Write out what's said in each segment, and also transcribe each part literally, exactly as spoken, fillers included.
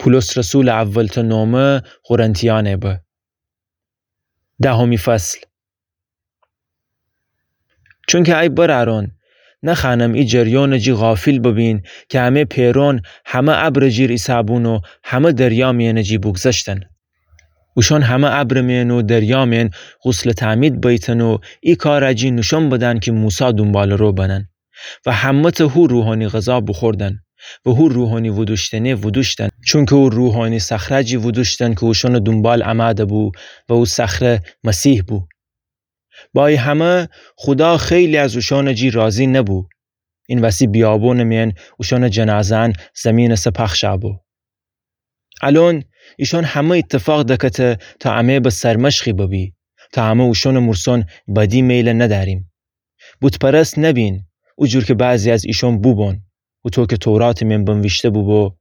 بولس رسولٚ اولتأ نومه قرنتیأنه به. دهمی فصل. چونکه ای برأرأن، نخوأنم ای جریانٚ جی غافل ببین کی امه پئرأن همه ابرٚ جیر ایسه‌بون و همه دریا میأنٚ جی بوگذشتن. اوشأن همه ابرٚ میأن و دریا میأن غسلٚ تعمید بیتن و ای کارٚ جی نوشأن بدن کی موسی دونبالٚ رو بنن. و همه‌تأ هو روحانی غذا بوخوردن و هو روحانی وودوشتنه وودوشتن. چونکه او روحانی صخره جی وودوشتن کی اوشأنٚ دونبال امده بو و او صخره مسیح بو. با ای همه، خودا خیلی از اوشأنٚ جی راضی نبو. این وسی بیابونٚ میأن اوشأنٚ جنازه‌أن زیمینٚ سر پخش بو. الأن ایشأن همه ایتفاق دکته تا امه به سرمشقی ببی، تا امه اوشأنٚ مورسأن بدی میل ندأریم. بت‌پرست نبین، او جور کی بعضی از ایشأن بوبون. هوطو کی توراتٚ میأن بنویشته بوبو،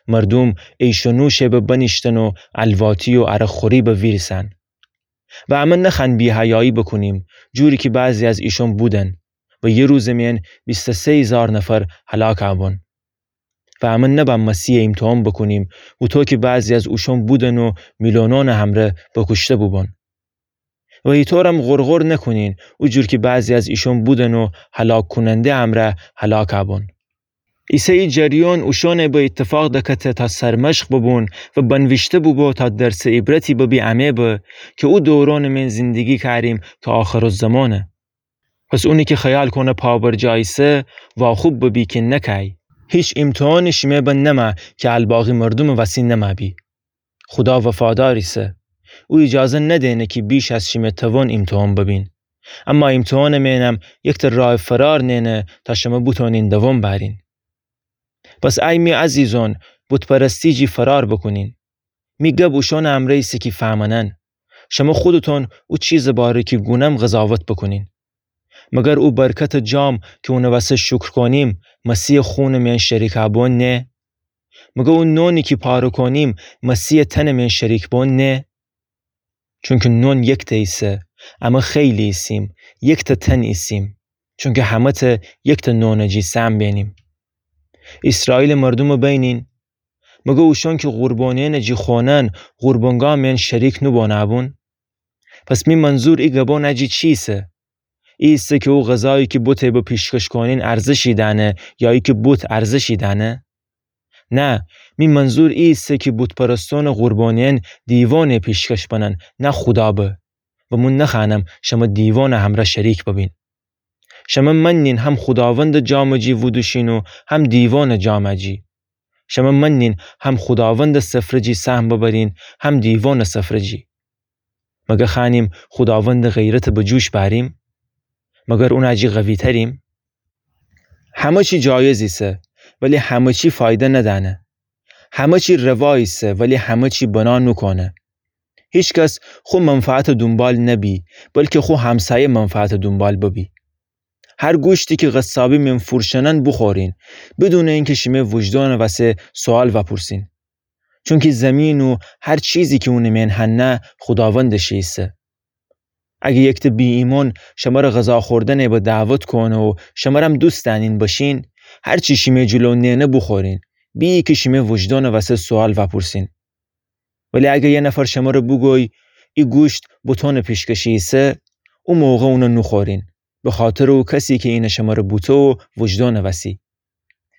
مردوم عیش و نوش به بنیشتن و الواتی و عرق‌خوری به ویریسن. و امه نخوأن بی‌حیایی بوکونیم، جوری کی بعضی از ایشأن بودن و یه روزٚ میأن بیست و سه هیزار نفر هلاک بون. و امه نبأ مسیحٚ ایمتحان بوکونیم، هوطو کی بعضی از اوشأن بودن و میلونأنٚ همره بوکوشته بوبون. و ایطورم غرغر نکونین، او جور کی بعضی از ایشأن بودن و هلاک‌کوننده امره هلاک بون. ایسه ای جریان اوشأنه به ایتفاق دکته تا سرمشق ببون و بنویشته بوبو تا درسٚ عبرتی ببی امه به کی او دورونٚ میأن زندگی کأریم تا آخرالزمانه. پس اونی کی خیال کونه پابرجا ایسه، واخوب ببی کی نکأی. هیچ ایمتحانی شیمه به نمه کی الباقی مردومٚ وسی نمه‌بی. خودا وفادار ایسه. او ایجازه ندینه کی بیش از شیمه توان ایمتحان ببین. اما ایمتحانٚ میأنم یکتأ راه فرار نئنه تا شمه بوتونین دوام بأرین. پس ای می عزیزأن، بت‌پرستی جی فرار بوکونین. می گب اوشأنٚ امرأ ایسه کی فهمنن. شمه خودتون او چیزٚ باره کی گونم قضاوت بوکونین. مگر او برکتٚ جام کی اونٚ وسه شکر کونیم، مسیحٚ خونٚ میأن شریک بون نه؟ مگر او نونی کی پاره کونیم، مسیحٚ تنٚ میأن شریک بون نه؟ چونکی نون یکتأ ایسه، امه خیلی ایسیم، یکتأ تن ایسیم، چونکی همه‌تأ یکتأ نونٚ جی سهم بینیم. ایسرائیلٚ مردومٚ بینین، مگر اوشأن کی قربانیأنٚ جی خوأنن، قربانگاه میأن شریک نوبونه‌بون؟ پس می منظور ای گبانٚ جی چی ایسه؟ ای ایسه کی او غذایی کی بته به پیشکش کونین ارزشی دأنه یا ای کی بت ارزشی دأنه؟ نه، می منظور ای ایسه کی بت‌پرستأنٚ قربانیأن دیوانه پیشکش بنن، نه خودا به. و من نخوأنم شمه دیوانٚ همرأ شریک ببین. شمه منین هم خوداوندٚ جامٚ جی وودوشین و هم دیوانٚ جامٚ جی. شمه منین هم خوداوندٚ سفره جی سهم ببرین، هم دیوانٚ سفره جی. مگر خوأنیم خوداوندٚ غیرته به جوش بأریم؟ مگر اونٚ جی قوی‌تریم؟ همه چی جایز ایسه، ولی همه چی فایده ندأنه. همه چی روا ایسه، ولی همه چی بنا نوکونه. هیچ کس خو منفعتٚ دونبال نبی، بلکی خو همسایه منفعتٚ دونبال ببی. هر گوشتی کی قصابی میأن فورشأنن بوخورین، بدونٚ اینکی شیمه وجدانٚ وسه سوال وأپورسین. چونکی زیمین و هر چیزی کی اونٚ میأن هنه خوداوندٚ شی ایسه. اگه یکتأ بی‌ایمأن شمره غذا خوردنه به دعوت کونه و شمرم دوست دأنین بشین، هر چی شیمه جلو نئنه بوخورین، بی کی شیمه وجدانٚ وسه سوال وأپورسین. ولی اگه یه نفر شمره بوگوی، ای گوشت بتأنٚ پیشکشی ایسه، او موقع اونه نوخورین، بخاطرٚ او کسی کی اینه شمره بوته و وجدانٚ وسی.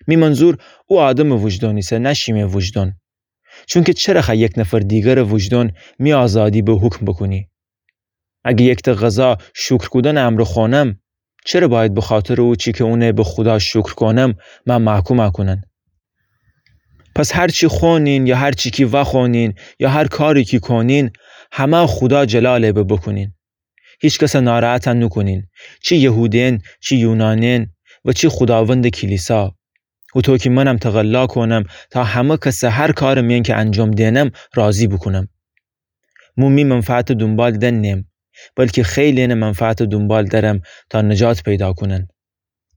می منظور او آدمٚ وجدان ایسه، نه شیمه وجدان. چونکی چره خوأ یک نفر دیگرٚ وجدان می آزادی به حکم بوکونی؟ اگه یکتأ غذا شکر کودنٚ امرأ خوأنم، چره باید بخاطرٚ او چی کی اونه به خودا شکر کونم، مه محکوم کونن؟ پس هر چی خوأنین یا هر چی کی وأخوأنین یا هر کاری کی کونین، همه خودا جلاله به بوکونین. هیچ کسه ناراحت نوکونین، چی یهودین، چی یونانین و چی خوداوندٚ کلیسا. هوطو کی منم تقلا کونم تا همه کسه هر کارٚ میأن کی انجام دئنم راضی بوکونم. مو می منفعتٚ دونبال دن نیم، بلکی خیلی‌ینٚ منفعتٚ دونبال درم تا نجات پیدا کونن.